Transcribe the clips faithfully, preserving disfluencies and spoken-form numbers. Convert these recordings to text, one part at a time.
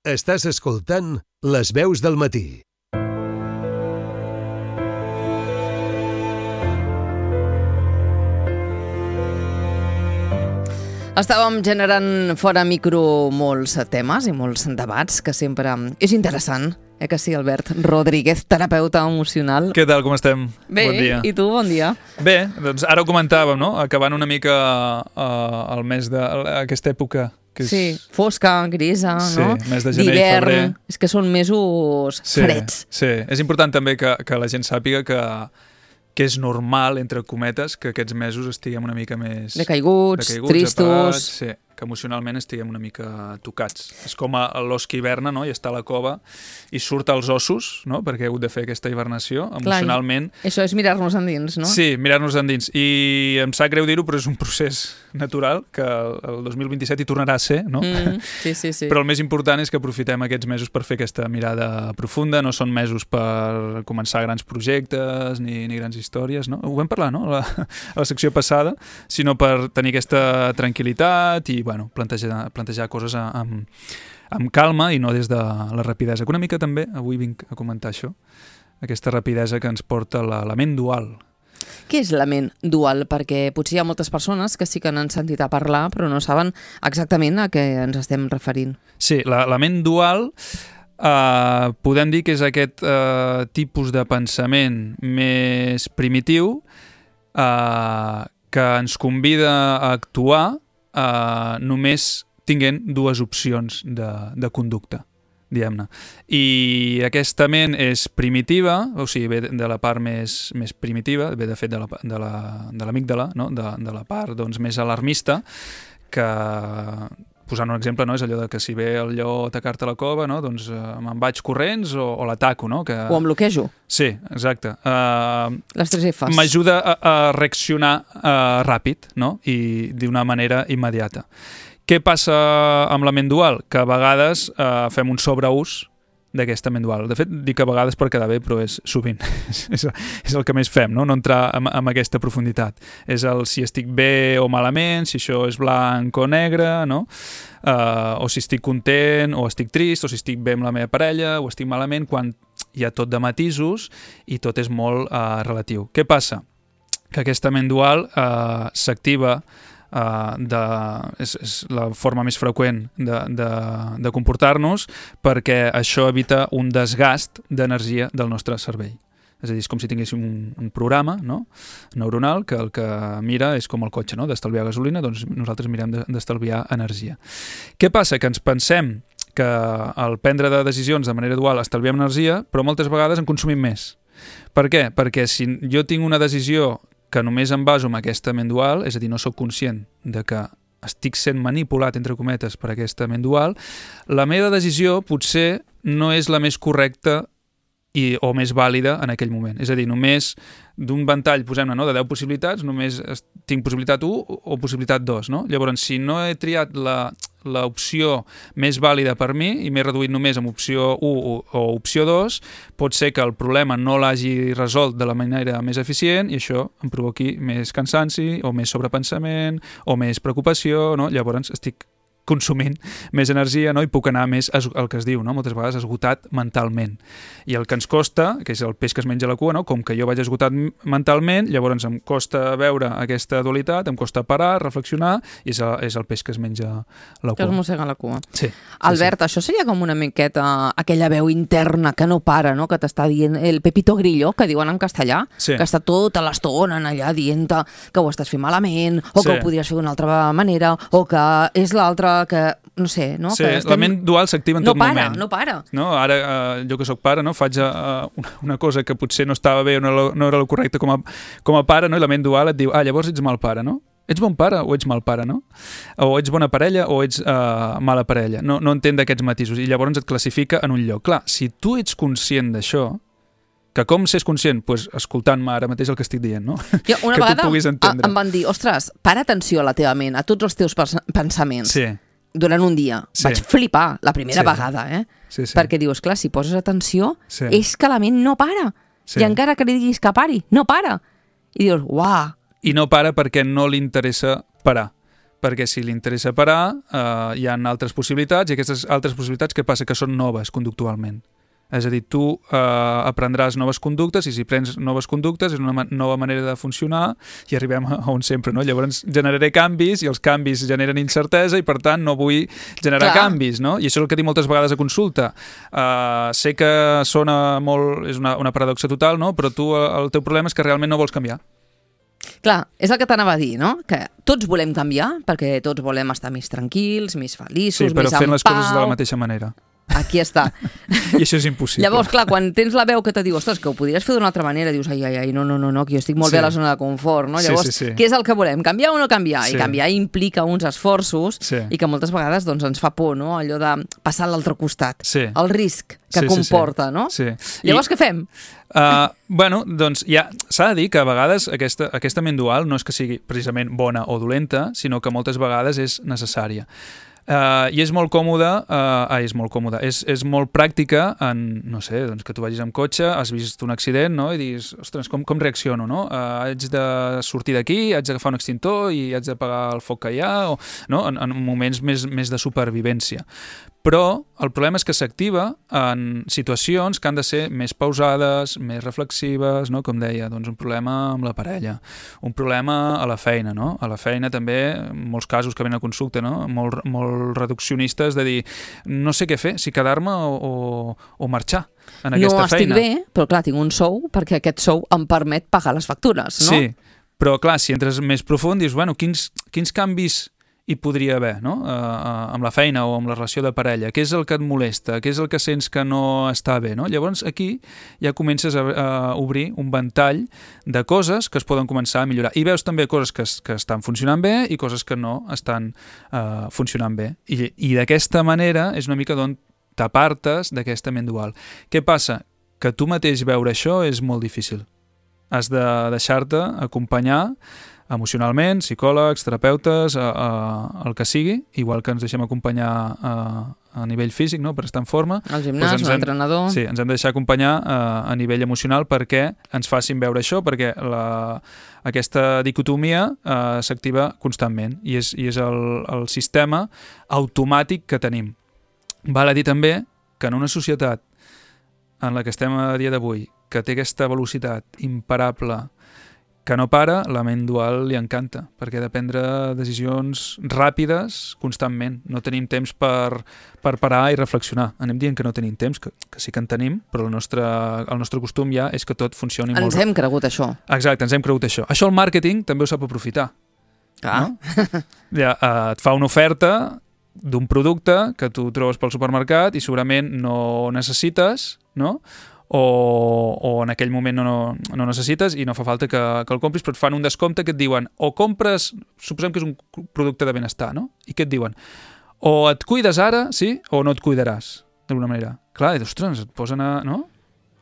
Estàs escoltant Les Veus del Matí. Estàvem generant fora micro molts temes i molts debats que sempre és interessant, eh que sí, Albert Rodríguez, terapeuta emocional. Què tal, com estem? Bé, bon dia. I tu, bon dia. Bé, doncs ara ho comentàvem, no? Acabant una mica uh, el mes d'aquesta època. Que és... Sí, fosca, grisa, sí, no? Mes de gener i febrer. És que són mesos sí, freds. Sí, és important també que, que la gent sàpiga que que és normal, entre cometes, que aquests mesos estiguem una mica més... Decaiguts, decaiguts tristos... Apagats, sí, que emocionalment estiguem una mica tocats. És com l'os que hiverna, no?, i està a la cova i surt als ossos, no?, perquè ha hagut de fer aquesta hibernació, emocionalment... Clar, això és mirar-nos endins, no? Sí, mirar-nos endins. I em sap greu dir-ho, però és un procés natural que el dos mil vint-i-set hi tornarà a ser, no? Mm, sí, sí, sí. Però el més important és que aprofitem aquests mesos per fer aquesta mirada profunda, no són mesos per començar grans projectes ni, ni grans històries, no? Ho vam parlar, no?, a la, a la secció passada, sinó per tenir aquesta tranquil·litat i, bueno, plantejar, plantejar coses amb, amb calma i no des de la rapidesa. Que una mica també, avui vinc a comentar això, aquesta rapidesa que ens porta la, la ment dual. Què és la ment dual? Perquè potser hi ha moltes persones que sí que n'han sentit a parlar, però no saben exactament a què ens estem referint. Sí, la, la ment dual eh, podem dir que és aquest eh, tipus de pensament més primitiu eh, que ens convida a actuar eh, només tinguent dues opcions de, de conducta, diguem-ne. I aquesta ment és primitiva, o sigui, ve de la part més, més primitiva, ve de fet de la, de la, de l'amígdala, no? de, de la part doncs, més alarmista, que, posant un exemple, no? És allò de que si ve el lleó a atacar-te a la cova, no? Doncs eh, me'n vaig corrents o, o l'ataco, no? Que... O em bloquejo. Sí, exacte. Uh, Les tres Fs. M'ajuda a, a reaccionar uh, ràpid, no? I d'una manera immediata. Què passa amb la ment dual? Que a vegades eh, fem un sobreús d'aquesta ment dual. De fet, dic a vegades per quedar bé, però és sovint. és, és el que més fem, no? No entrar en, en aquesta profunditat. És el si estic bé o malament, si això és blanc o negre, no? Uh, o si estic content o estic trist, o si estic bé amb la meva parella o estic malament, quan hi ha tot de matisos i tot és molt uh, relatiu. Què passa? Que aquesta ment dual uh, s'activa Uh, de, és, és la forma més freqüent de, de, de comportar-nos perquè això evita un desgast d'energia del nostre cervell. És a dir, és com si tinguéssim un, un programa, no?, neuronal que el que mira és com el cotxe, no?, d'estalviar gasolina, doncs nosaltres mirem d'estalviar energia. Què passa? Que ens pensem que al prendre de decisions de manera dual estalviem energia, però moltes vegades en consumim més. Per què? Perquè si jo tinc una decisió que només em baso en aquesta ment dual, és a dir, no sóc conscient de que estic sent manipulat, entre cometes, per aquesta ment dual, la meva decisió potser no és la més correcta i, o més vàlida en aquell moment. És a dir, només d'un ventall, posem-ne, no?, de deu possibilitats, només tinc possibilitat u o possibilitat dos, no? Llavors, si no he triat la, l'opció més vàlida per mi i m'he reduït només amb opció u o, o opció dos, pot ser que el problema no l'hagi resolt de la manera més eficient i això em provoqui més cansanci o més sobrepensament o més preocupació, no? Llavors estic consumint més energia, no? I puc anar més, el que es diu, no?, moltes vegades esgotat mentalment. I el que ens costa, que és el peix que es menja la cua, no?, com que jo vaig esgotat mentalment, llavors em costa veure aquesta dualitat, em costa parar, reflexionar, i és el, és el peix que es menja la cua. Que es mossega la cua. Sí. Albert, sí, sí. Això seria com una miqueta aquella veu interna que no para, no?, que t'està dient el Pepito Grillo, que diuen en castellà, sí, que està tota l'estona allà dient-te que ho estàs fent malament, o que sí, ho podries fer d'una altra manera, o que és l'altra que, no sé, no? Sí, que estem... la ment dual s'activa en no tot para, moment. No para, no para. No? Ara, eh, jo que sóc pare, no? Faig eh, una, una cosa que potser no estava bé o no, no era el correcte com a, com a pare, no? I la ment dual et diu, ah, llavors ets mal pare, no? Ets bon pare o ets mal pare, no? O ets bona parella o ets uh, mala parella. No, no entén d'aquests matisos i llavors et classifica en un lloc. Clar, si tu ets conscient d'això, que com s'és conscient? Pues escoltant-me ara mateix el que estic dient, no? Jo, una que vegada tu puguis entendre. Em van dir, ostres, para atenció a la teva ment, a tots els teus pensaments. Sí. Durant un dia. Sí. Vaig flipar la primera sí. vegada, eh? Sí, sí. Perquè dius, clar, si poses atenció, sí. és que la ment no para. Sí. I encara que li diguis que pari, no para. I dius, uah. I no para perquè no li interessa parar. perquè si li interessa parar, eh, hi ha altres possibilitats, i aquestes altres possibilitats, què passa? Que són noves conductualment. És a dir, tu eh, aprendràs noves conductes, i si prens noves conductes és una ma- nova manera de funcionar, i arribem a on sempre, no? Llavors generaré canvis, i els canvis generen incertesa, i per tant no vull generar Clar. canvis, no? I això és el que dic moltes vegades a consulta. Uh, sé que sona molt, és una, una paradoxa total, no? Però tu, el teu problema és que realment no vols canviar. Clar, és el que t'anava a dir, no? Que tots volem canviar, perquè tots volem estar més tranquils, més feliços, Sí, però més fent en les pau. coses de la mateixa manera. Aquí està. I això és impossible. Llavors, clar, quan tens la veu que te diu, ostres, que ho podries fer d'una altra manera, dius, ai, ai, ai, no, no, no, no que jo estic molt Sí. bé a la zona de confort, no? Sí, Llavors, sí, sí. què és el que volem? Canviar o no canviar? Sí. I canviar implica uns esforços Sí. i que moltes vegades doncs, ens fa por, no? Allò de passar a l'altre costat. Sí. El risc que Sí, sí, comporta, sí. no? Sí. Llavors, I, què fem? uh, bueno, doncs ja s'ha de dir que a vegades aquesta, aquesta ment dual no és que sigui precisament bona o dolenta, sinó que moltes vegades és necessària. Uh, I és molt còmode, uh, ah, és molt còmode, és, és molt pràctica en, no sé, doncs que tu vagis amb cotxe, has vist un accident, no? I diguis, ostres, com, com reacciono, no? Uh, haig de sortir d'aquí, haig d'agafar un extintor i haig d'apagar el foc que hi ha, o, no? En, en moments més, més de supervivència. Però el problema és que s'activa en situacions que han de ser més pausades, més reflexives, no? Com deia, doncs un problema amb la parella, un problema a la feina, no? A la feina també, molts casos que venen a consulta, no? Molt, molt reduccionistes de dir, no sé què fer, si quedar-me o, o, o marxar en aquesta no estic feina. bé, però clar, tinc un sou perquè aquest sou em permet pagar les factures, no? Sí, però clar, si entres més profund, dius, bueno, quins, quins canvis hi podria haver, no? Uh, uh, amb la feina o amb la relació de parella. Què és el que et molesta? Què és el que sents que no està bé, no? Llavors aquí ja comences a, a obrir un ventall de coses que es poden començar a millorar. I veus també coses que, es, que estan funcionant bé i coses que no estan uh, funcionant bé. I, i d'aquesta manera és una mica d'on t'apartes d'aquesta ment dual. Què passa? Que tu mateix veure això és molt difícil. Has de deixar-te acompanyar emocionalment, psicòlegs, terapeutes, a, a, el que sigui, igual que ens deixem acompanyar a, a nivell físic, no?, per estar en forma. El gimnàs, doncs un entrenador... Sí, ens hem de deixar acompanyar a, a nivell emocional perquè ens facin veure això, perquè la, aquesta dicotomia uh, s'activa constantment i és, i és el, el sistema automàtic que tenim. Val a dir també que en una societat en la que estem a dia d'avui, que té aquesta velocitat imparable, que no para, la ment dual li encanta, perquè ha de prendre decisions ràpides constantment. No tenim temps per, per parar i reflexionar. Anem dient que no tenim temps, que, que sí que en tenim, però el nostre, el nostre costum ja és que tot funcioni Ens molt... hem cregut això. Exacte, ens hem cregut això. Això el màrqueting també ho sap aprofitar. Clar. No? Ja, uh, et fa una oferta d'un producte que tu trobes pel supermercat i segurament no necessites, no?, o, o en aquell moment no, no, no necessites i no fa falta que, que el compris, però et fan un descompte que et diuen o compres, suposem que és un producte de benestar, no? I què et diuen? O et cuides ara, sí, o no et cuidaràs, d'alguna manera. Clar, i ostres, et posen a, no?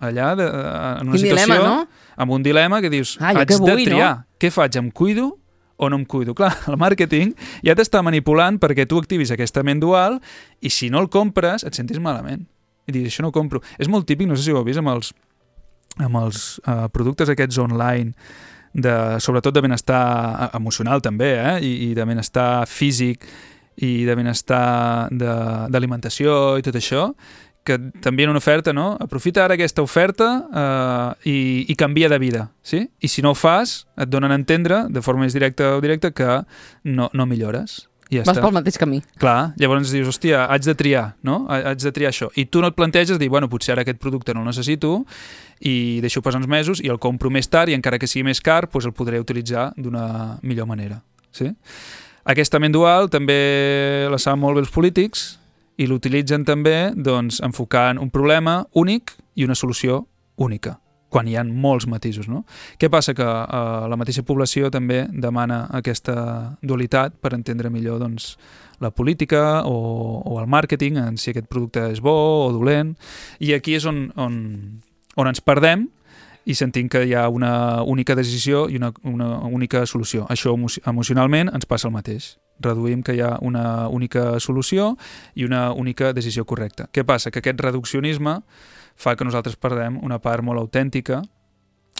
allà de, en una Quin situació dilema, no? amb un dilema que dius, Ah, jo haig què vull, de triar, no? Què faig, em cuido o no em cuido? Clar, el màrqueting ja t'està manipulant perquè tu activis aquesta ment dual i si no el compres et sentis malament. I dius, això no ho compro. És molt típic, no sé si ho heu vist, amb els, amb els uh, productes aquests online, de, sobretot de benestar emocional també, eh? I, i de benestar físic i de benestar d'alimentació i tot això, que t'envien una oferta, no? Aprofita ara aquesta oferta uh, i, i canvia de vida, sí? I si no ho fas, et donen a entendre, de forma més directa o directa, que no, no millores. I ja Vas està. pel mateix camí. Clar, llavors dius, hòstia, haig de triar, no? Haig de triar això. I tu no et planteges dir, bueno, potser ara aquest producte no el necessito i deixo passar uns mesos i el compro més tard i encara que sigui més car, doncs el podré utilitzar d'una millor manera. Sí? Aquesta ment dual també la saben molt bé els polítics i l'utilitzen també doncs, enfocant un problema únic i una solució única, quan hi ha molts matisos, no? Què passa? Que eh, la mateixa població també demana aquesta dualitat per entendre millor doncs, la política o, o el màrqueting, en si aquest producte és bo o dolent, i aquí és on, on, on ens perdem i sentim que hi ha una única decisió i una, una única solució. Això emocionalment ens passa el mateix. Reduïm que hi ha una única solució i una única decisió correcta. Què passa? Que aquest reduccionisme fa que nosaltres perdem una part molt autèntica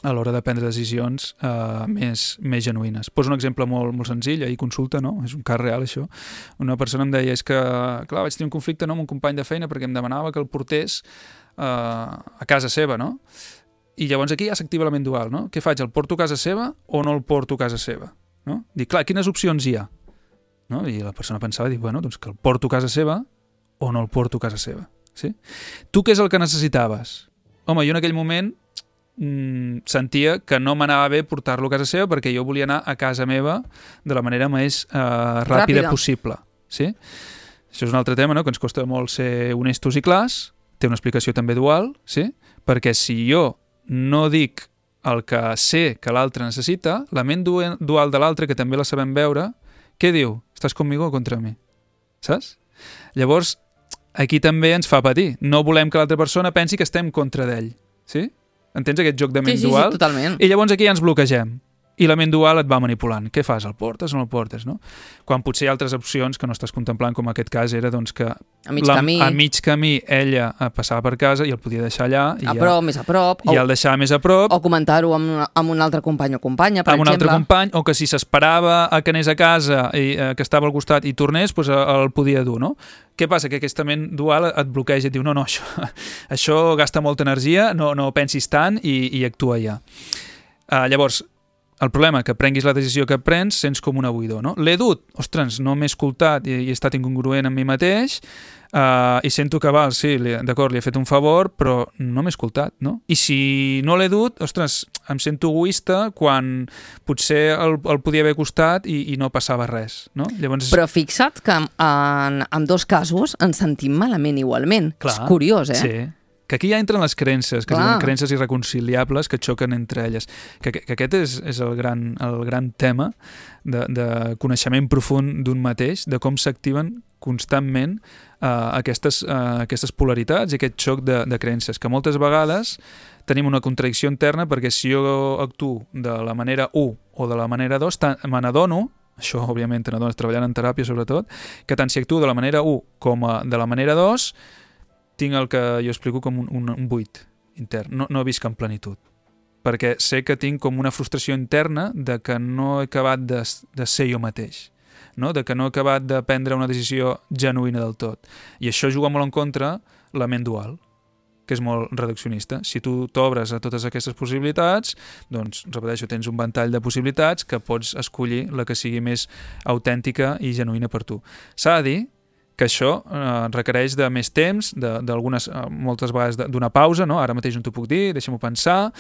a l'hora de prendre decisions eh, més, més genuïnes. Poso un exemple molt, molt senzill, ahir consulta, no? És un cas real, això. Una persona em deia, és que, clar, vaig tenir un conflicte no, amb un company de feina perquè em demanava que el portés eh, a casa seva, no? I llavors aquí ja s'activa la ment dual, no? Què faig, el porto a casa seva o no el porto a casa seva? No? Dic, clar, quines opcions hi ha? No? I la persona pensava, dic, bueno, doncs que el porto a casa seva o no el porto a casa seva. Sí? Tu què és el que necessitaves? Home, jo en aquell moment sentia que no m'anava bé portar-lo a casa seva perquè jo volia anar a casa meva de la manera més eh, ràpida, ràpida possible. Sí? Això és un altre tema, no? Que ens costa molt ser honestos i clars, té una explicació també dual, sí? Perquè si jo no dic el que sé que l'altre necessita, la ment dual de l'altre, que també la sabem veure, què diu? Estàs conmigo o contra mi? Saps? Llavors, aquí també ens fa patir. No volem que l'altra persona pensi que estem contra d'ell. Sí? Entens aquest joc de ment sí, sí, dual? Sí, totalment. I llavors aquí ja ens bloquegem. I la ment dual et va manipulant. Què fas? El portes o no el portes? No? Quan potser hi ha altres opcions que no estàs contemplant, com aquest cas era doncs, que a mig, la, camí. a mig camí ella passava per casa i el podia deixar allà. I a ja, prop, més a prop. I o, el deixava més a prop. O comentar-ho amb, amb un altre company o companya, per amb exemple. un altre company, o que si s'esperava a que anés a casa i eh, que estava al costat i tornés, doncs el podia dur, no? Què passa? Que aquesta ment dual et bloqueja i et diu no, no, això, això gasta molta energia, no, no pensis tant i, i actua ja. Uh, llavors, el problema que prenguis la decisió que prens, sents com una buidor, no? L'he dut, ostres, no m'he escoltat i, i he estat incongruent amb mi mateix uh, i sento que, val, sí, d'acord, li he fet un favor, però no m'he escoltat, no? I si no l'he dut, ostres, em sento egoista quan potser el, el podia haver costat i, i no passava res, no? Llavors... Però fixa't que en, en dos casos ens sentim malament igualment. Clar, és curiós, eh? Sí. Que aquí ja entren les creences, que són creences irreconciliables que xoquen entre elles. Que, que aquest és, és el, gran, el gran tema de, de coneixement profund d'un mateix, de com s'activen constantment eh, aquestes, eh, aquestes polaritats i aquest xoc de, de creences, que moltes vegades tenim una contradicció interna perquè si jo actuo de la manera u o de la manera dos, me n'adono, això òbviament te n'adones treballant en teràpia sobretot, que tant si actuo de la manera u com a, de la manera dos, tinc el que jo explico com un, un, un buit intern, no, no visc en plenitud. Perquè sé que tinc com una frustració interna de que no he acabat de, de ser jo mateix, no? De que no he acabat de prendre una decisió genuïna del tot. I això juga molt en contra la ment dual, que és molt reduccionista. Si tu t'obres a totes aquestes possibilitats, doncs, repeteixo, tens un ventall de possibilitats que pots escollir la que sigui més autèntica i genuïna per tu. S'ha de dir que això eh, requereix de més temps, d'algunes, eh, moltes vegades d'una pausa, no? Ara mateix no t'ho puc dir, deixa'm-ho pensar,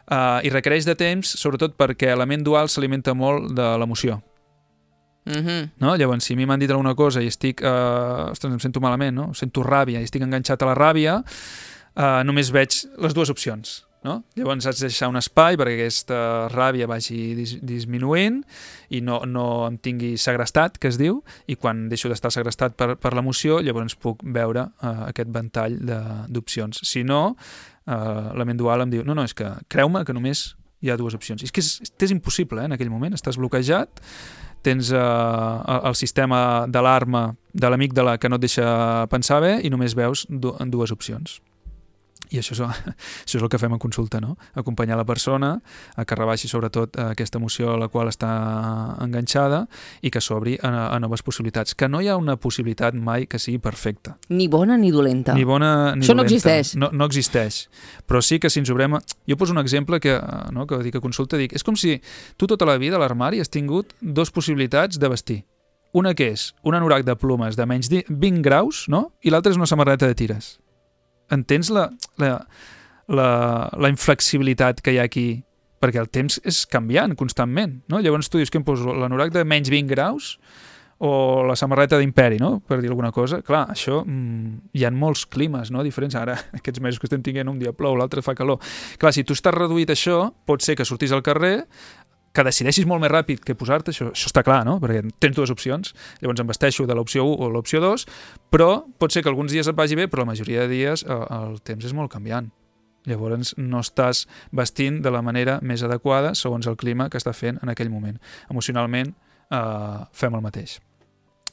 eh, i requereix de temps, sobretot perquè la ment dual s'alimenta molt de l'emoció. Mm-hmm. No? Llavors, si a mi m'han dit alguna cosa i estic, eh, ostres, em sento malament, no? Sento ràbia i estic enganxat a la ràbia, eh, només veig les dues opcions. No? Llavors haig de deixar un espai perquè aquesta ràbia vagi dis disminuint i no, no em tingui segrestat, que es diu, i quan deixo d'estar segrestat per, per l'emoció, llavors puc veure uh, aquest ventall d'opcions. Si no, uh, la ment dual em diu, no, no, és que creu-me que només hi ha dues opcions. I és que és, és impossible, eh, en aquell moment, estàs bloquejat, tens uh, el sistema d'alarma de l'amígdala que no et deixa pensar bé i només veus du dues opcions. I això és, això és el que fem en consulta, no? Acompanyar la persona a que rebaixi sobretot aquesta emoció a la qual està enganxada i que s'obri a, a noves possibilitats. Que no hi ha una possibilitat mai que sigui perfecta. Ni bona ni dolenta. Ni bona ni això dolenta. No existeix. No, no existeix. Però sí que si ens obrem... Jo poso un exemple que, no, que dic a consulta, dic, és com si tu tota la vida a l'armari has tingut dues possibilitats de vestir. Una que és un anorac de plomes de menys vint graus, no? I l'altra és una samarreta de tires. Entens la, la, la, la inflexibilitat que hi ha aquí? Perquè el temps és canviant constantment, no? Llavors tu dius que em poso l'anorac de menys vint graus o la samarreta d'imperi, no? Per dir alguna cosa. Clar, això, mmm, hi ha molts climes, no? Diferents. Ara, aquests mesos que estem tinguent, un dia plou, l'altre fa calor. Clar, si tu estàs reduït a això, pot ser que sortis al carrer, que decideixis molt més ràpid que posar-te, això, això està clar, no? Perquè tens dues opcions, llavors em vesteixo de l'opció u o l'opció dos, però pot ser que alguns dies et vagi bé, però la majoria de dies el, el temps és molt canviant. Llavors no estàs vestint de la manera més adequada segons el clima que està fent en aquell moment. Emocionalment eh, fem el mateix.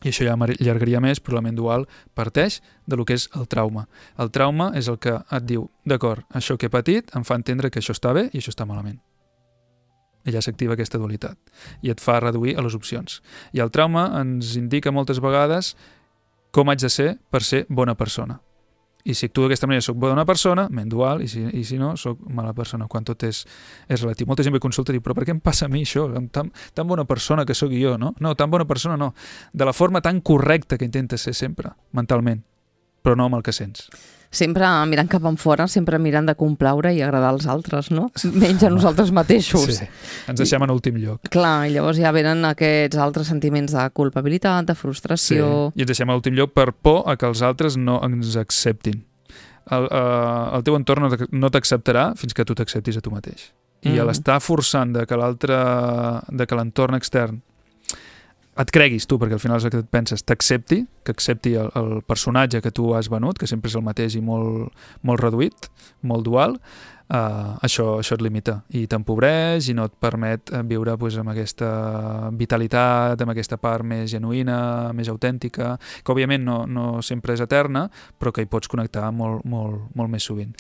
I això ja m'allargaria més, però la ment dual parteix de lo que és el trauma. El trauma és el que et diu, d'acord, això que he patit em fa entendre que això està bé i això està malament. I ja s'activa aquesta dualitat i et fa reduir a les opcions. I el trauma ens indica moltes vegades com haig de ser per ser bona persona. I si actuo d'aquesta manera soc bona persona, ment dual, i si, i si no, soc mala persona, quan tot és, és relatiu. Molta gent ve a consulta i diu, però per què em passa a mi això? Tan, tan bona persona que sóc jo, no? No, tan bona persona no. De la forma tan correcta que intentes ser sempre, mentalment, però no amb el que sents. Sempre mirant cap enfora, sempre mirant de complaure i agradar als altres, no? Menys a nosaltres mateixos. Sí, ens deixem en últim lloc. Clar, i llavors ja venen aquests altres sentiments de culpabilitat, de frustració... Sí, i ens deixem en últim lloc per por a que els altres no ens acceptin. El, uh, el teu entorn no t'acceptarà fins que tu t'acceptis a tu mateix. I mm. l'estar forçant de que l'altre, de que l'entorn extern et creguis tu, perquè al final és el que et penses, t'accepti, que accepti el, el personatge que tu has venut, que sempre és el mateix i molt, molt reduït, molt dual, uh, això, això et limita i t'empobreix i no et permet viure pues, amb aquesta vitalitat, amb aquesta part més genuïna, més autèntica, que òbviament no, no sempre és eterna, però que hi pots connectar molt, molt, molt més sovint.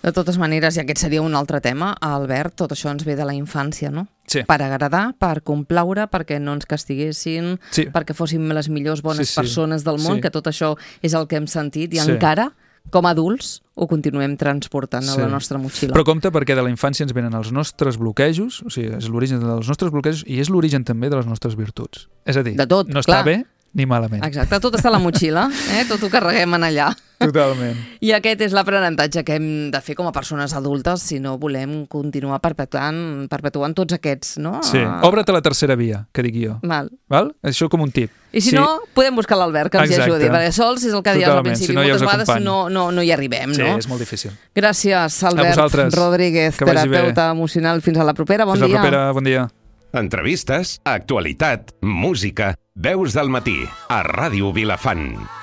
De totes maneres, i aquest seria un altre tema, Albert, tot això ens ve de la infància, no? Sí. Per agradar, per complaure, perquè no ens castiguessin, sí. perquè fóssim les millors bones sí, sí. persones del món, sí. que tot això és el que hem sentit i sí. encara, com a adults, ho continuem transportant sí. a la nostra motxilla. Però compte perquè de la infància ens venen els nostres bloquejos, o sigui, és l'origen dels nostres bloquejos i és l'origen també de les nostres virtuts. És a dir, de tot, no clar. està bé ni malament. Exacte, tot està a la motxilla, eh? Tot ho carreguem en allà. Totalment. I aquest és l'aprenentatge que hem de fer com a persones adultes si no volem continuar perpetuant, perpetuant tots aquests, no? Sí, obre't a la tercera via, que dic jo. Val. Val? Això com un tip. I si sí. no, podem buscar l'Albert, que ens Exacte. hi ajudi, perquè sols és el que deies al principi, si no, moltes ja vegades no, no, no hi arribem, sí, no? Sí, és molt difícil. Gràcies, Albert Rodríguez, terapeuta emocional. Fins a la propera, bon dia. dia. Fins a la propera, bon dia. Entrevistes, actualitat, música, veus del matí, a Ràdio Vilafant.